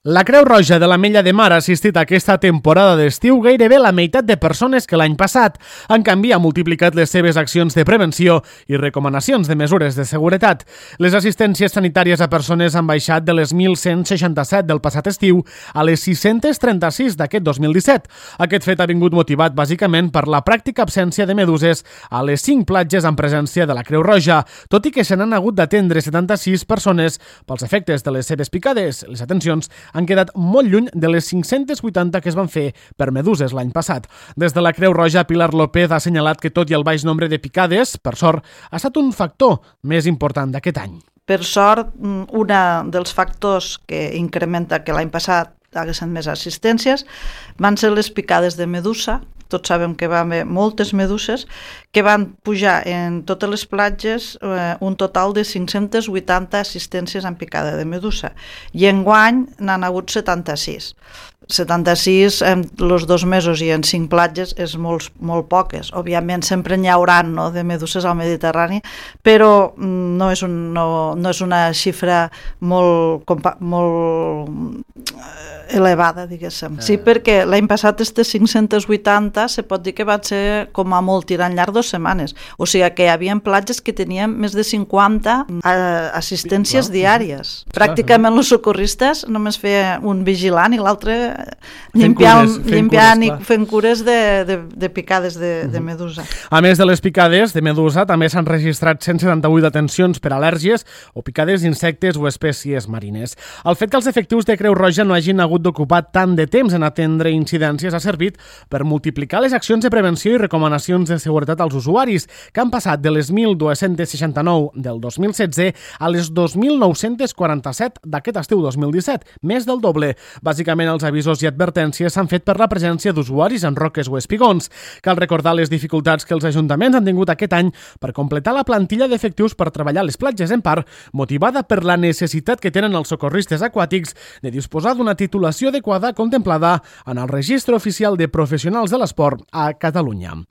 La Creu Roja de l'Ametlla de Mar ha assistit a aquesta temporada d'estiu gairebé la meitat de persones que l'any passat. En canvi, ha multiplicat les seves accions de prevenció i recomanacions de mesures de seguretat. Les assistències sanitàries a persones han baixat de les 1.167 del passat estiu a les 636 d'aquest 2017. Aquest fet ha vingut motivat bàsicament per la pràctica absència de meduses a les 5 platges en presència de la Creu Roja, tot i que se n'han hagut d'atendre 76 persones pels efectes de les seves picades. Les atencions han quedat molt lluny de les 580 que es van fer per meduses l'any passat. Des de la Creu Roja, Pilar López ha assenyalat que tot i el baix nombre de picades, per sort, ha estat un factor més important d'aquest any. Per sort, un dels factors que incrementa que l'any passat haguessin més assistències van ser les picades de medusa. Tots sabem que va haver moltes meduses que van pujar en totes les platges un total de 580 assistències en picada de medusa i enguany n'han hagut 76. 76 en els 2 mesos i en 5 platges és molt poques. Òbviament sempre n'hi haurà de meduses al Mediterrani, però no és una xifra molt elevada, diguéssim. Sí, perquè l'any passat aquestes 580 se pot dir que van ser com a molt tirant llarg 2 setmanes. O sigui que hi havia platges que tenien més de 50 assistències diàries. Pràcticament els socorristes només feia un vigilant i l'altre limpiant i fent cures de picades de medusa. A més de les picades de medusa, també s'han registrat 178 detencions per al·lèrgies o picades d'insectes o espècies marines. El fet que els efectius de Creu Roja no hagin hagut d'ocupar tant de temps en atendre incidències ha servit per multiplicar les accions de prevenció i recomanacions de seguretat als usuaris, que han passat de les 1.269 del 2016 a les 2.947 d'aquest estiu 2017, més del doble. Bàsicament, els avisos i advertències s'han fet per la presència d'usuaris en roques o espigons. Cal recordar les dificultats que els ajuntaments han tingut aquest any per completar la plantilla d'efectius per treballar a les platges, en part motivada per la necessitat que tenen els socorristes aquàtics de disposar d'una titulació adequada contemplada en el Registre Oficial de Professionals de l'Esport a Catalunya.